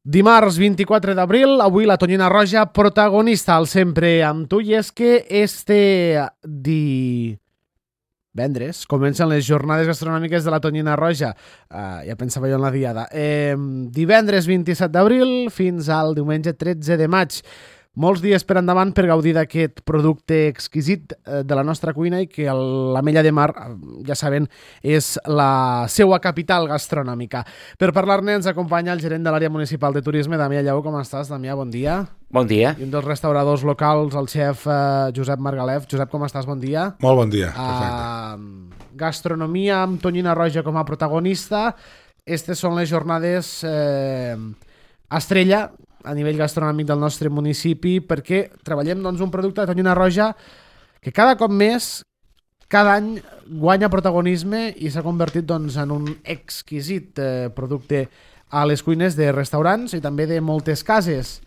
Dimarts 24 d'abril, avui la Tonyina Roja protagonista al Sempre amb tu, i és que divendres comencen les jornades gastronòmiques de la Tonyina Roja. Ja pensava jo en la diada. Divendres 27 d'abril fins al diumenge 13 de maig. Molts dies per endavant per gaudir d'aquest producte exquisit de la nostra cuina i que l'Ametlla de Mar, ja saben, és la seva capital gastronòmica. Per parlar-ne ens acompanya el gerent de l'àrea municipal de turisme, Damià Lleó. Com estàs, Damià? Bon dia. Bon dia. I un dels restauradors locals, el xef Josep Margalef. Josep, com estàs? Bon dia. Molt bon dia. Perfecte. Gastronomia amb Tonyina Roja com a protagonista. Aquestes són les jornades estrella a nivell gastronòmic del nostre municipi, perquè treballem un producte de Tonyina Roja que cada cop més, cada any guanya protagonisme i s'ha convertit en un exquisit producte a les cuines de restaurants i també de moltes cases.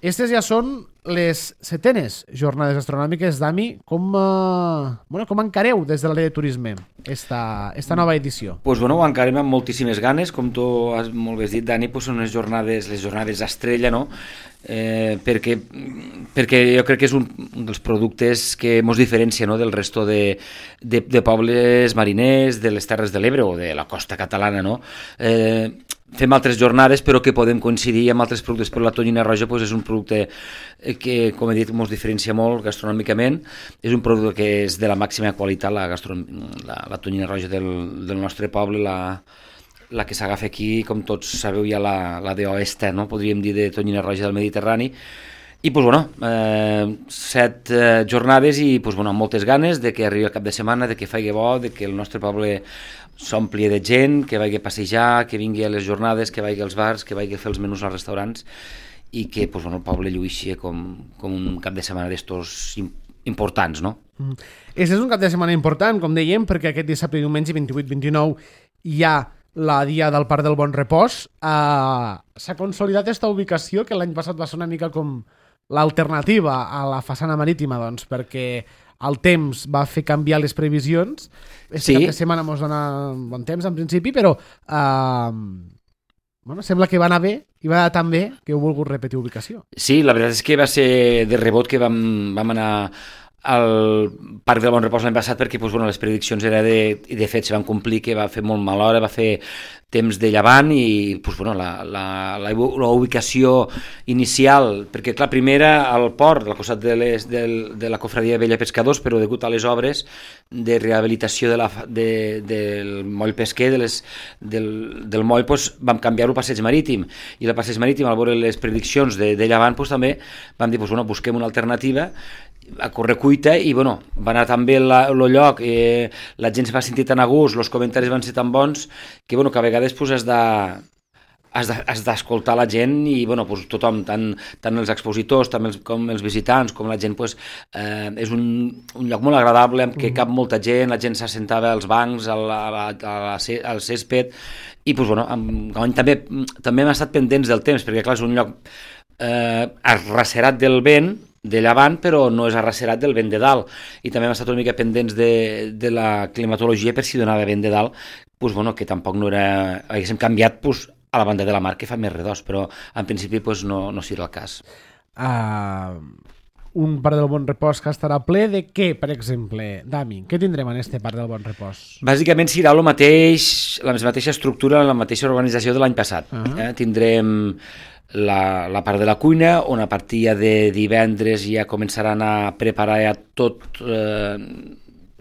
Aquestes ja són les 7enes jornades gastronòmiques. Dami, com encareu des de l'àrea de turisme esta nova edició? Ho encarem amb moltíssimes ganes, com tu has molt bé dit, Dani, són les jornades estrella, no? Perquè jo crec que és un dels productes que ens diferencia, no?, del resto de pobles mariners, de les Terres de l'Ebre o de la costa catalana, no? Fem altres jornades però que podem coincidir amb altres productes, però la Tonyina Roja és un producte que, com he dit, ens diferencia molt gastronòmicament. És un producte que és de la màxima qualitat, la Tonyina Roja del nostre poble, la que s'agafa aquí, com tots sabeu, ja la d'Oesta, no?, podríem dir, de Tonyina Roja del Mediterrani. I 7 jornades i amb moltes ganes de que arribi el cap de setmana, de que faci bo, de que el nostre poble s'ompli de gent, que vagi a passejar, que vingui a les jornades, que vagi als bars, que vagi a fer els menús als restaurants i que el poble lluïxi com un cap de setmana d'estos importants, no? Aquest és un cap de setmana important, com dèiem, perquè aquest dissabte i diumenge 28-29 hi ha la dia del Parc del Bon Repòs. S'ha consolidat aquesta ubicació que l'any passat va ser una mica com l'alternativa a la façana marítima, perquè el temps va fer canviar les previsions. Sí. Cap de setmana ens dona bon temps en principi, però sembla que va anar bé i va anar tan bé que heu volgut repetir ubicació. Sí, la veritat és que va ser de rebot que vam anar al Parc del Bon Repòs l'any passat perquè les prediccions i de fet se van complir, que va fer molt mala hora, va fer temps de llevant i la ubicació inicial, perquè clar, primera al port, al costat de la cofradia de Vella Pescadors, però degut a les obres de rehabilitació del moll pesquer, del moll, vam canviar-ho a passeig marítim, i el passeig marítim, al veure les prediccions de llevant, també vam dir, busquem una alternativa a correcuita, i va anar tan bé el lloc, la gent se va sentir tan a gust, els comentaris van ser tan bons que a vegades has d'escoltar la gent i tothom, tant els expositors com els visitants, com la gent, és un lloc molt agradable en què cap molta gent, la gent s'assentava als bancs, al césped, i també hem estat pendents del temps, perquè clar, és un lloc arracerat del vent de llevant, però no és arracerat del vent de dalt, i també hem estat una mica pendents de la climatologia per si donava vent de dalt, que tampoc no era, haguéssim canviat a la banda de la mar, que fa més redós, però en principi no serà el cas. Un Parc del Bon Repòs que estarà ple de què, per exemple, Dami? Què tindrem en este Parc del Bon Repòs? Bàsicament serà la mateixa estructura, la mateixa organització de l'any passat. Tindrem la part de la cuina, on a partir de divendres ja començaran a preparar ja tots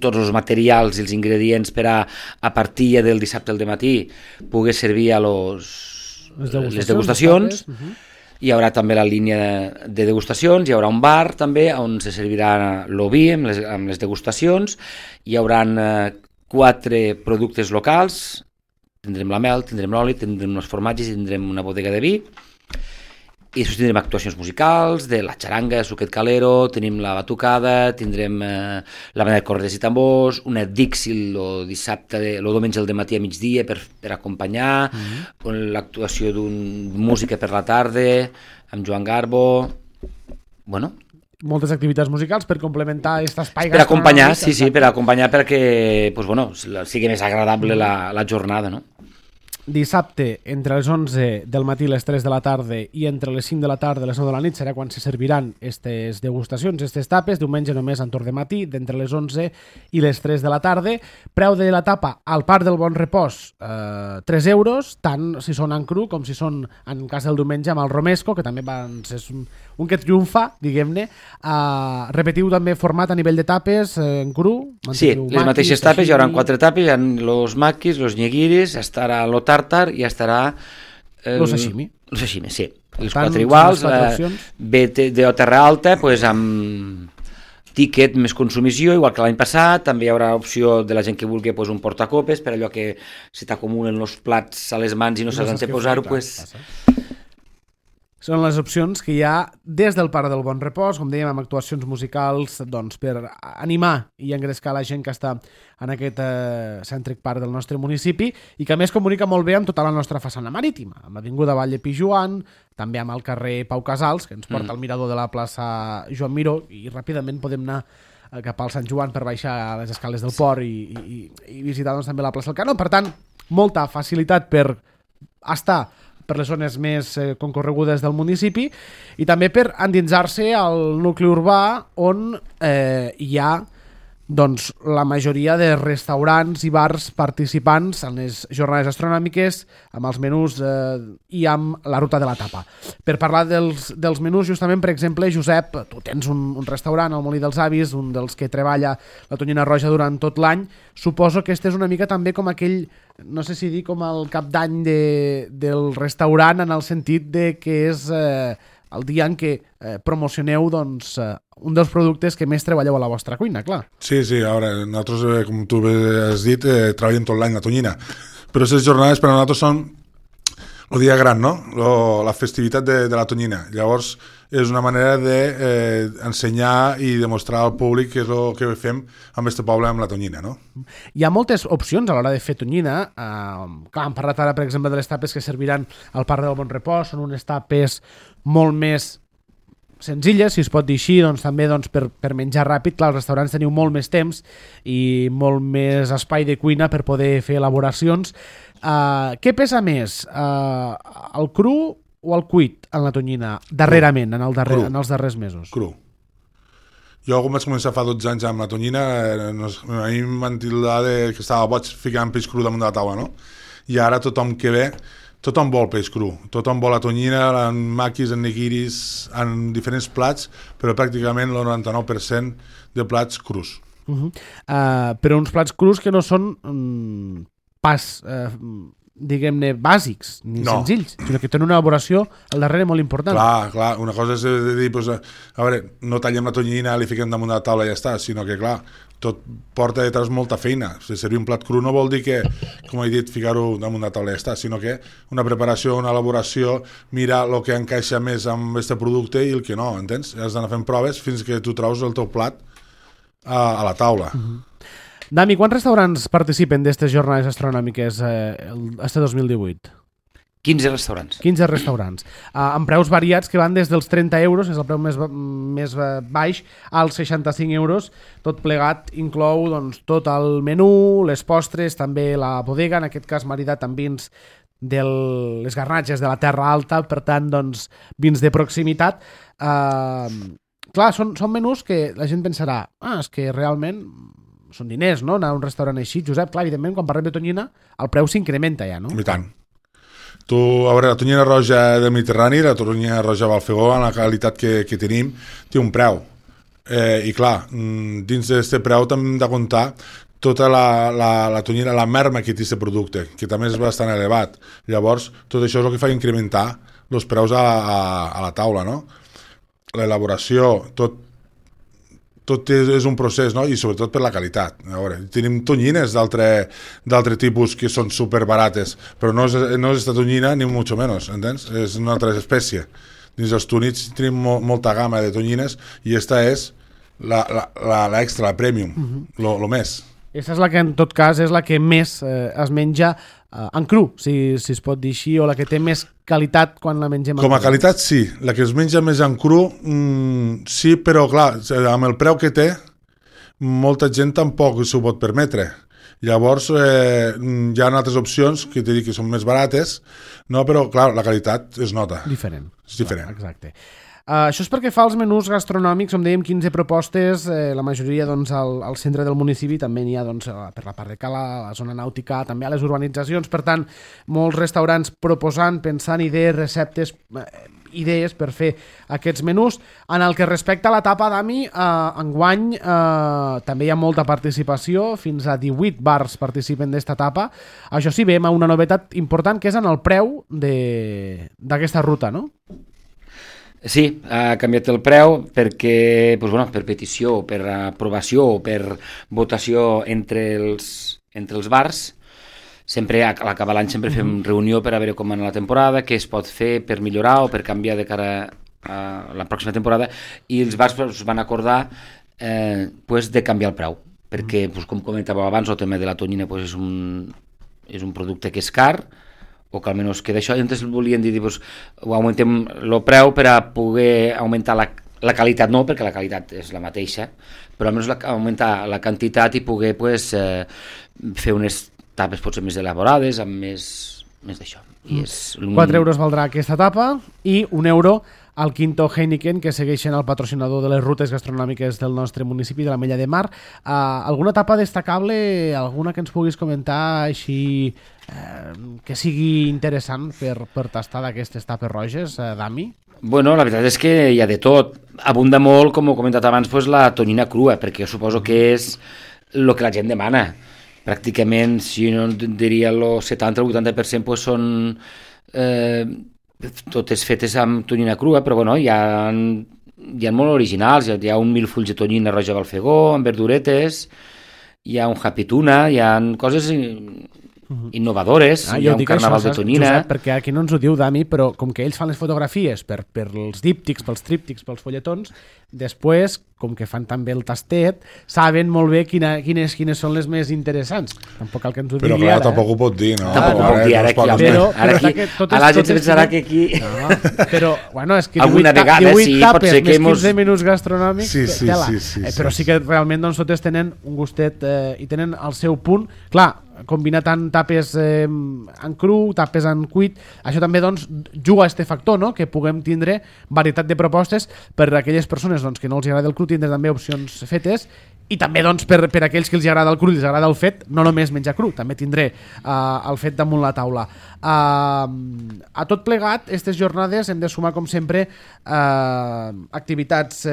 els materials i els ingredients per a partir del dissabte al matí poder servir a les degustacions. Hi haurà també la línia de degustacions, hi haurà un bar també on se servirà l'oví amb les degustacions, hi haurà 4 productes locals, tindrem la mel, tindrem l'oli, tindrem els formatges i tindrem una bodega de vi, i després tindrem actuacions musicals de la xaranga, suquet calero, tenim la batucada, tindrem la banda de cordes i tambors, una Dixi el diumenge al matí a migdia per acompanyar, l'actuació d'un música per la tarda amb Joan Garbo, moltes activitats musicals per complementar aquest espai per acompanyar, sí, per acompanyar perquè sigui més agradable la jornada, no? dissabte entre les 11 del matí i les 3 de la tarda i entre les 5 de la tarda i les 9 de la nit serà quan se serviran aquestes degustacions, aquestes tapes. Diumenge només en torn de matí, d'entre les 11 i les 3 de la tarda. Preu de la tapa al Parc del Bon Repòs, 3 euros, tant si són en cru com si són, en cas del diumenge, amb el romesco, que també és un que triomfa, diguem-ne. Repetiu també format a nivell de tapes en cru? Sí, les mateixes tapes, hi haurà 4 tapes, hi ha los maquis, los nyegiris, estarà lo tartar i estarà... Lo sashimi. Lo sashimi, sí. Els 4 iguals, de terra alta, pues, amb tiquet més consumició, igual que l'any passat. També hi haurà opció de la gent que vulgui pues, un portacopes, per allò que se t'acumulen els plats a les mans i no saps on te posar-ho, pues... Són les opcions que hi ha des del Parc del Bon Repòs, com dèiem, amb actuacions musicals doncs, per animar i engrescar la gent que està en aquest cèntric parc del nostre municipi i que a més comunica molt bé amb tota la nostra façana marítima, amb l'Avinguda Vall de Pijuan, també amb el carrer Pau Casals, que ens porta al mirador de la plaça Joan Miró, i ràpidament podem anar cap al Sant Joan per baixar a les escales del port i visitar doncs, també la plaça del Canó. Per tant, molta facilitat per estar per les zones més concorregudes del municipi i també per endinsar-se al nucli urbà on hi ha doncs, la majoria de restaurants i bars participants en les jornades astronòmiques amb els menús i amb la ruta de la tapa. Per parlar dels menús, justament, per exemple, Josep, tu tens un restaurant al Molí dels Avis, un dels que treballa la Tonyina Roja durant tot l'any. Suposo que este és una mica també com aquell, no sé si dir com el cap d'any del restaurant, en el sentit de que és el dia en què promocioneu doncs, un dels productes que més treballeu a la vostra cuina, clar. Sí, a veure, nosaltres, com tu has dit, treballem tot l'any la tonyina, però aquestes jornades per a nosaltres són el dia gran, no? La festivitat de la tonyina. Llavors, és una manera d'ensenyar i demostrar al públic què és el que fem amb este poble amb la tonyina, no? Hi ha moltes opcions a l'hora de fer tonyina. Clar, hem parlat ara, per exemple, de les tapes que serviran al Parc del Bon Repòs. Són unes tapes molt més senzilles, si es pot dir així, doncs també doncs, per menjar ràpid. Clar, els restaurants teniu molt més temps i molt més espai de cuina per poder fer elaboracions. Què pesa més, el cru o el cuit en la tonyina darrerament, en els darrers mesos? Cru. Jo, quan vaig començar fa 12 anys amb la tonyina, a mi em van tildar que estava boig ficant peix cru damunt de la taula, no? I ara tothom que ve, tothom vol peix cru, tothom vol la tonyina, en maquis, en nigiris, en diferents plats, però pràcticament el 99% de plats crus. Però uns plats crus que no són pas, diguem-ne, bàsics ni senzills, sinó que tenen una elaboració al darrere molt important. Clar, una cosa és de dir, pues, a veure, no tallem la tonyina, li fiquem damunt de la taula i ja està, sinó que, clar, tot porta detrás molta feina. Si servir un plat cru no vol dir que, com he dit, ficar-ho damunt de la taula i ja està, sinó que una preparació, una elaboració, mirar el que encaixa més amb aquest producte i el que no, entens? Has d'anar fent proves fins que tu trobes el teu plat a la taula. Dami, quants restaurants participen d'aquestes jornades astronòmiques este 2018? 15 restaurants. 15 restaurants. Amb preus variats que van des dels 30 euros, és el preu més baix, als 65 euros. Tot plegat inclou doncs, tot el menú, les postres, també la bodega, en aquest cas maridat amb vins de les garnatges de la Terra Alta, per tant, doncs, vins de proximitat. Clar, són menús que la gent pensarà, és que realment són diners, no?, anar a un restaurant així. Josep, clar, evidentment, quan parlem de tonyina, el preu s'incrementa ja, no? I tant. Tu, a veure, la tonyina roja del Mediterrani, la tonyina roja Balfegó, en la qualitat que tenim, té un preu. I clar, dins d'aquest preu també hem de comptar tota la tonyina, la merma que té aquest producte, que també és bastant elevat. Llavors, tot això és el que fa incrementar els preus a la taula, no? L'elaboració, tot és un procés, no? I sobretot per la qualitat. A veure, tenim tonyines d'altre tipus que són superbarates, però no és esta tonyina ni mucho menos, entens? És una altra espècie. Dins dels túnids tenim molta gamma de tonyines i esta és l'extra, la premium, lo més. Aquesta és la que, en tot cas, és la que més es menja en cru, si es pot dir així, o la que té més qualitat quan la mengem en cru. Com a qualitat, sí. La que es menja més en cru, sí, però clar, amb el preu que té, molta gent tampoc s'ho pot permetre. Llavors, hi ha altres opcions que t'he dit que són més barates, no? Però, clar, la qualitat es nota. Diferent. És diferent. Clar, exacte. Això és perquè fa els menús gastronòmics, com dèiem, 15 propostes, la majoria doncs, al centre del municipi, també n'hi ha doncs, per la part de Cala, a la zona nàutica, també a les urbanitzacions, per tant, molts restaurants proposant, pensant idees, receptes, idees per fer aquests menús. En el que respecta a la tapa, Dami, enguany també hi ha molta participació, fins a 18 bars participen d'esta tapa. Això sí, veiem una novetat important, que és en el preu d'aquesta ruta, no? Sí, ha canviat el preu perquè, doncs, bueno, per petició, per aprovació o per votació entre els bars. Sempre a l'acabar l'any sempre fem reunió per a veure com va la temporada, què es pot fer per millorar o per canviar de cara a la pròxima temporada, i els bars van acordar de canviar el preu, perquè, com comentàveu abans, el tema de la tonyina és un producte que és car, o que almenys queda això, i entonces volien dir, augmentem el preu per a poder augmentar la qualitat, no, perquè la qualitat és la mateixa, però almenys augmentar la quantitat i poder fer unes tapes potser més elaborades, amb més d'això. 4 euros valdrà aquesta tapa i 1 euro al Quinto Heineken, que segueixen el patrocinador de les rutes gastronòmiques del nostre municipi, de la Mella de Mar. Alguna tapa destacable, alguna que ens puguis comentar així que sigui interessant per tastar d'aquestes tapes roges, Dami? Bueno, la veritat és que hi ha de tot. Abunda molt, com he comentat abans, la tonyina crua, perquè jo suposo que és el que la gent demana. Pràcticament, si no diria el 70 o el 80% són totes fetes amb tonyina crua, però bueno, hi ha molt originals, hi ha un milfull de tonyina roja Balfegó, amb verduretes, hi ha un happy tuna, hi ha coses innovadores, hi ha un carnaval de tonyina. Josep, perquè aquí no ens ho diu Dami, però com que ells fan les fotografies per els díptics, pels tríptics, pels folletons, després, com que fan també el tastet, saben molt bé quines són les més interessants. Tampoc cal que ens ho digui ara. Però clar, tampoc ho pot dir, no? Tampoc ho pot dir ara aquí. A la gent se pensarà que aquí... Però, bueno, és que 18 tapes més 15 menús gastronòmics, sí. Però sí que realment totes tenen un gustet i tenen el seu punt. Clar, combinar tant tapes en cru, tapes en cuit, això també juga a este factor, no? Que puguem tindre varietat de propostes per a aquelles persones que no els agrada el cru, tindre també opcions fetes, i també per aquells que els agrada el cru i els agrada el fet, no només menjar cru, també tindré el fet damunt la taula. A tot plegat, aquestes jornades hem de sumar, com sempre, activitats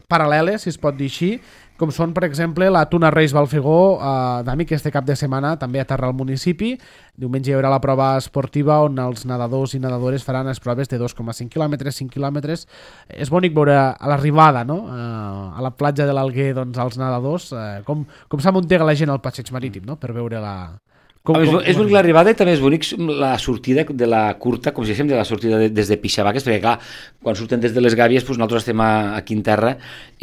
paral·leles, si es pot dir així, com són, per exemple, la Tuna Reis Balfegó, Dami, que este cap de setmana també aterra al municipi. Diumenge hi haurà la prova esportiva on els nedadors i nedadores faran les proves de 2,5 quilòmetres, 5 quilòmetres. És bonic veure a l'arribada, no? A la platja de l'Alguer, els nedadors, com s'amuntega la gent al passeig marítim, no? Per veure la... És bonic l'arribada i també és bonic la sortida de la curta, com si diguéssim, de la sortida des de Pixavaques, perquè clar, quan surten des de les Gàbies nosaltres estem aquí en terra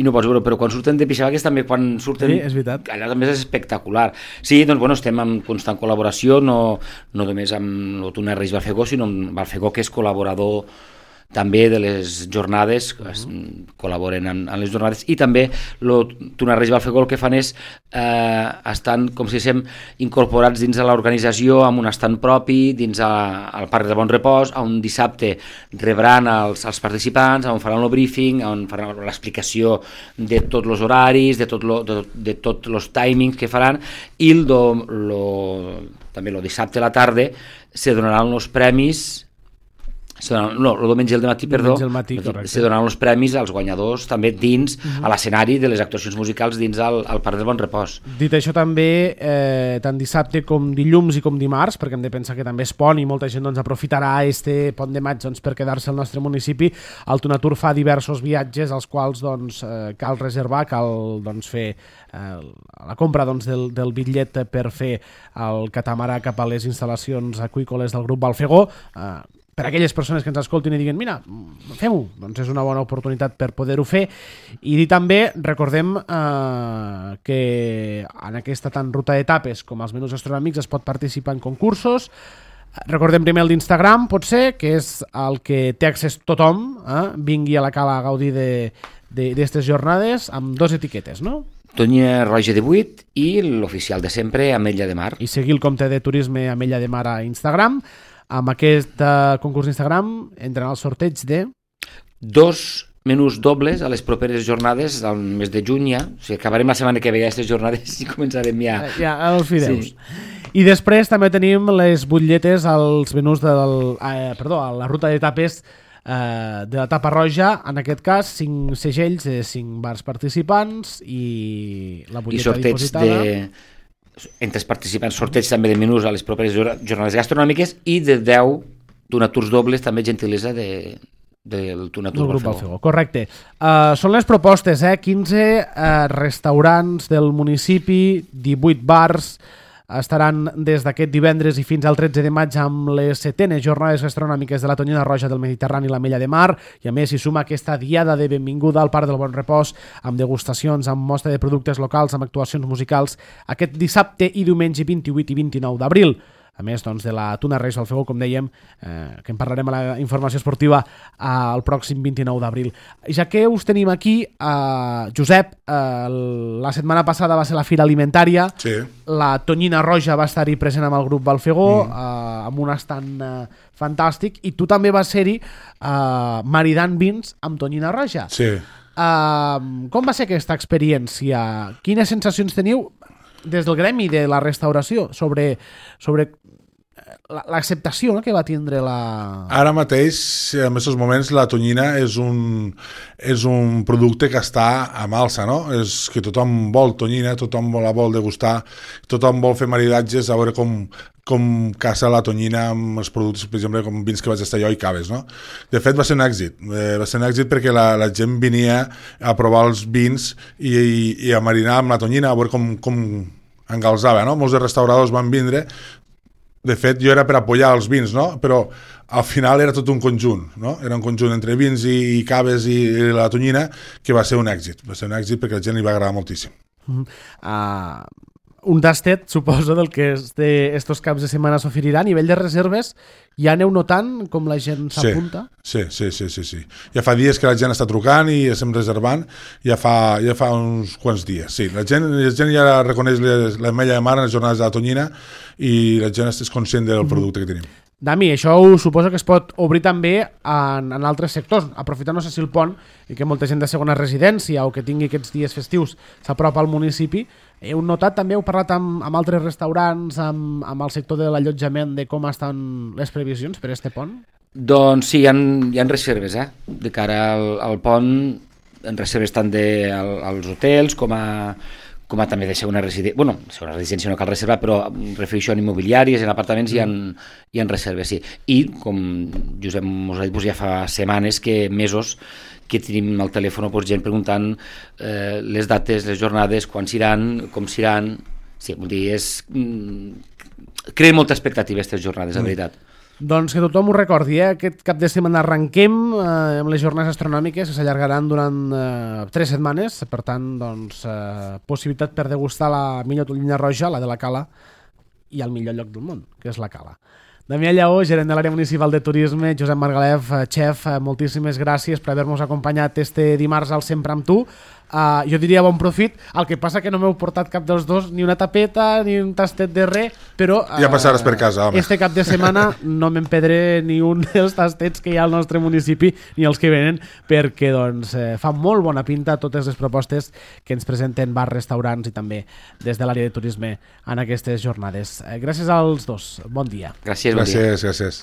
i no pots veure, però quan surten de Pixavaques també, quan surten... Sí, és veritat. Allà també és espectacular. Sí, estem en constant col·laboració, no només amb el Tuna Reis Balfegó, sinó amb Balfegó, que és col·laborador també de les jornades, col·laboren amb les jornades, i també el Tuna Reis Balfegó el que fan és estan, com si diguéssim, incorporats dins de l'organització amb un estant propi dins al Parc de Bon Repòs, on dissabte rebran els participants, on faran el briefing, on faran l'explicació de tots els horaris, de tots els timings que faran, i també el dissabte a la tarda se donaran els premis. El diumenge al matí, se donaran els premis als guanyadors també dins a l'escenari de les actuacions musicals dins al Parc de Bon Repòs. Dit això, també tant dissabte com dilluns i com dimarts, perquè hem de pensar que també és pont i molta gent aprofitarà este pont de maig per quedar-se al nostre municipi, el Tunatur fa diversos viatges als quals cal reservar, cal fer la compra del bitllet per fer el catamarà cap a les instal·lacions aqüícoles del grup Balfegó. Per a aquelles persones que ens escoltin i diguin mira, fem-ho, és una bona oportunitat per poder-ho fer. I dir també, recordem que en aquesta tant ruta d'etapes com els menús gastronòmics es pot participar en concursos. Recordem primer el d'Instagram, potser, que és el que té accés tothom, vingui a la Cala a gaudir d'aquestes jornades, amb 2 etiquetes, no? Tonyina Roja 18 i l'oficial de sempre, Ametlla de Mar. I seguir el compte de turisme Ametlla de Mar a Instagram. Amb aquest concurs d'Instagram entren al sorteig de... 2 menús dobles a les properes jornades al mes de juny ja. O sigui, acabarem la setmana que ve aquestes jornades i començarem ja. Ja els fideus. Sí. I després també tenim les butlletes als menús a la ruta de tapes de la tapa roja, en aquest cas 5 segells de 5 bars participants i la butlleta dipositada. Entre els participants, sorteig també de menús a les properes jornades gastronòmiques i de 10 donaturs dobles, també gentilesa del Tunatur Balfegó. Correcte. Són les propostes, 15 restaurants del municipi, 18 bars, estaran des d'aquest divendres i fins al 13 de maig amb les 7enes jornades gastronòmiques de la Tonyina Roja del Mediterrani i l'Ametlla de Mar, i a més s'hi suma aquesta diada de benvinguda al Parc del Bon Repòs amb degustacions, amb mostra de productes locals, amb actuacions musicals aquest dissabte i diumenge 28 i 29 d'abril. A més, doncs, de la Tuna Reis Balfegó, com dèiem, que en parlarem a la informació esportiva el pròxim 29 d'abril. Ja que us tenim aquí, Josep, la setmana passada va ser la Fira Alimentària, sí. La Tonyina Roja va estar-hi present amb el grup Balfegó, amb un estand fantàstic, i tu també vas ser-hi maridant vins amb Tonyina Roja. Sí. Com va ser aquesta experiència? Quines sensacions teniu des del gremi de la restauració sobre l'acceptació que va tindre la... Ara mateix, en aquests moments, la tonyina és un producte que està a alça, no? És que tothom vol tonyina, tothom la vol degustar, tothom vol fer maridatges, a veure com caça la tonyina amb els productes, per exemple, com vins que vaig estar jo i caves, no? De fet, va ser un èxit. Va ser un èxit perquè la gent venia a provar els vins i a marinar amb la tonyina, a veure com engalzava, no? Molts de restauradors van vindre. De fet, jo era per apoyar els vins, no? Però al final era tot un conjunt, no? Era un conjunt entre vins i caves i la tonyina que va ser un èxit. Va ser un èxit perquè a la gent li va agradar moltíssim. Un tastet, suposo, del que estos caps de setmana s'oferirà. A nivell de reserves, ja aneu notant com la gent s'apunta? Sí. Ja fa dies que la gent està trucant i estem reservant, ja fa uns quants dies. Sí, la gent ja reconeix l'Ametlla de Mar en les jornades de la tonyina i la gent és conscient del producte que tenim. Dami, això suposo que es pot obrir també en altres sectors, aprofitant, no sé si el pont, i que molta gent de segona residència o que tingui aquests dies festius s'apropa al municipi. Heu notat també, heu parlat amb altres restaurants, amb el sector de l'allotjament, de com estan les previsions per este pont? Doncs sí, hi ha reserves, de cara al pont, en reserves tant als hotels com a també de segona residència, segona residència no cal reservar, però refereixo en immobiliàries, en apartaments hi ha reserves, sí. I, com Josep us ha dit, ja fa setmanes, mesos, que tenim al telèfon gent preguntant les dates, les jornades, quan s'iran, com s'iran. Sí, vull dir, creen molta expectativa aquestes jornades, la veritat. Doncs que tothom ho recordi, aquest cap de setmana arrenquem amb les jornades astronòmiques que s'allargaran durant 3 setmanes, per tant, doncs, possibilitat per degustar la millor tonyina roja, la de la Cala, i el millor lloc del món, que és la Cala. Damià Lleó, gerent de l'àrea municipal de turisme, Josep Margalef, xef, moltíssimes gràcies per haver-nos acompanyat este dimarts al Sempre amb tu. Jo diria bon profit, el que passa que no m'heu portat cap dels dos, ni una tapeta ni un tastet de res, però ja passaràs per casa, home. Este cap de setmana no m'empedré ni un dels tastets que hi ha al nostre municipi ni els que venen, perquè doncs, fa molt bona pinta totes les propostes que ens presenten bars, restaurants i també des de l'àrea de turisme en aquestes jornades. Gràcies als dos, bon dia. Gràcies, bon dia. Gràcies.